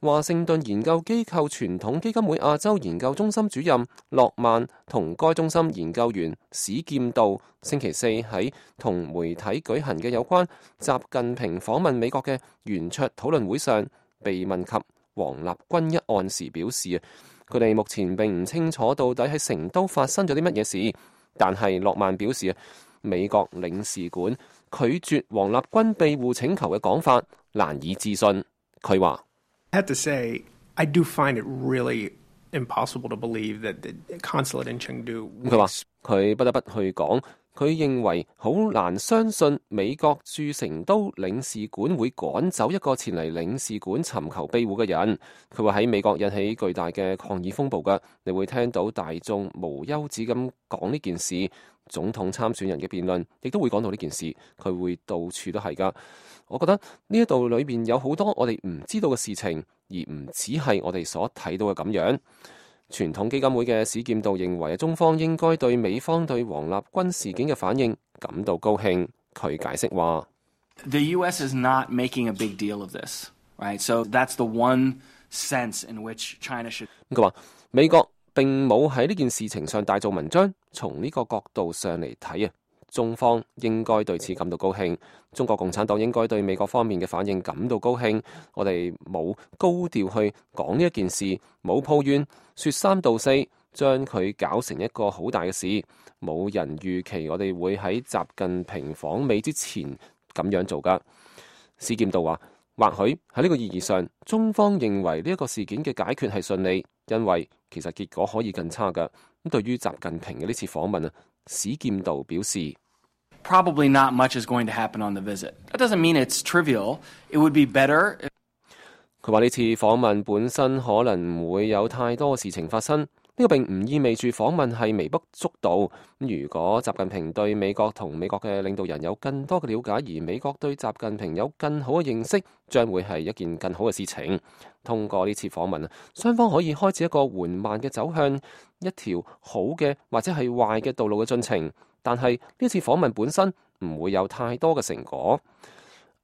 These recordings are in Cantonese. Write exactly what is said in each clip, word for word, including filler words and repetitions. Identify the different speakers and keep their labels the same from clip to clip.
Speaker 1: 華盛頓研究機構傳統基金會亞洲研究中心主任諾曼同該中心研究員史劍道星期四喺同媒體舉行嘅有關習近平訪問美國嘅圓桌討論會上，被問及王立軍一案時表示，佢哋目前並唔清楚到底喺成都發生咗啲乜嘢事，但係諾曼表示，美國領事館拒絕王立軍庇護請求嘅講法難以置信。佢話
Speaker 2: I have to say, I do find it really impossible to believe that the consulate in Chengdu.
Speaker 1: 佢話佢不得不去講，佢認為好難相信美國駐成都領事館會趕走一個前嚟領事館尋求庇護嘅人。佢話喺美國引起巨大嘅抗議風暴㗎，你會聽到大眾無休止咁講呢件事。總統參選人嘅辯論亦都會講到呢件事，佢會到處都係㗎。我覺得呢一度裏邊有好多我哋唔知道嘅事情，而唔只係我哋所睇到嘅咁樣。傳統基金會嘅史劍道認為，中方應該對美方對王立軍事件嘅反應感到高興。佢解釋話
Speaker 3: ：The U S is not making a big deal of this, right? So that's the one sense in which China should.
Speaker 1: 佢話美國並冇喺呢件事情上大做文章，從呢個角度上嚟睇啊，中方應該對此感到高興。中國共產黨應該對美國方面嘅反應感到高興。我哋冇高調去講呢一件事，冇抱怨，說三道四，將佢搞成一個好大嘅事。冇人預期我哋會喺習近平訪美之前咁樣做㗎。史劍道話，或許喺呢個意義上，中方認為呢一個事件嘅解決係順利，因為其實結果可以更差㗎。咁對於習近平嘅呢次訪問啊，史劍道表示
Speaker 3: Probably not much is going to happen on the visit. That doesn't mean it's trivial. It would be better.
Speaker 1: 佢話呢次訪問本身可能唔會有太多事情發生，呢個並唔意味住訪問係微不足道。如果習近平對美國同美國嘅領導人有更多嘅了解，而美國對習近平有更好嘅認識，將會係一件更好嘅事情。通過呢次訪問啊，雙方可以開始一個緩慢嘅走向一條好嘅或者係壞嘅道路嘅進程。但係呢次訪問本身唔會有太多嘅成果。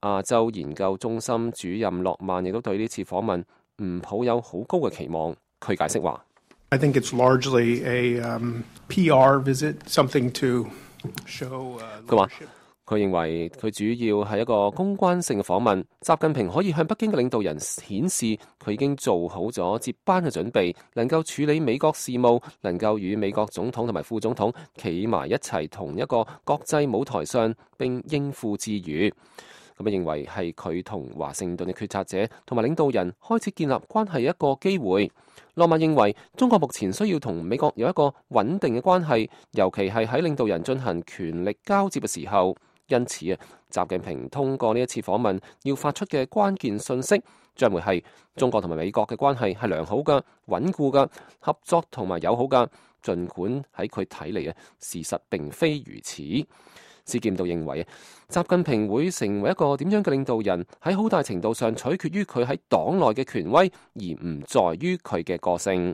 Speaker 1: 亞洲研究中心主任諾曼亦都對呢次訪問唔抱有好高嘅期望。佢解釋話
Speaker 2: I think it's largely a um, P R visit, something to show.
Speaker 1: 佢話佢認為佢主要係一個公關性嘅訪問。習近平可以向北京嘅領導人顯示佢已經做好咗接班嘅準備，能夠處理美國事務，能夠與美國總統同埋副總統企埋一齊同一個國際舞台上並應付自如。咁啊，認為係佢同華盛頓嘅決策者同埋領導人開始建立關係一個機會。諾曼認為中國目前需要同美國有一個穩定嘅關係，尤其係喺領導人進行權力交接嘅時候。因此啊，習近平通過呢一次訪問要發出嘅關鍵信息，將會係中國同埋美國嘅關係係良好嘅、穩固嘅、合作同埋友好嘅。儘管喺佢睇嚟啊，事實並非如此。史劍道認為啊，習近平會成為一個點樣嘅領導人，喺好大程度上取決於佢喺黨內嘅權威，而唔在於佢嘅個性。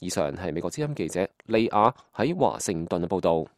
Speaker 1: 以上係美國之音記者利亞喺華盛頓嘅報導。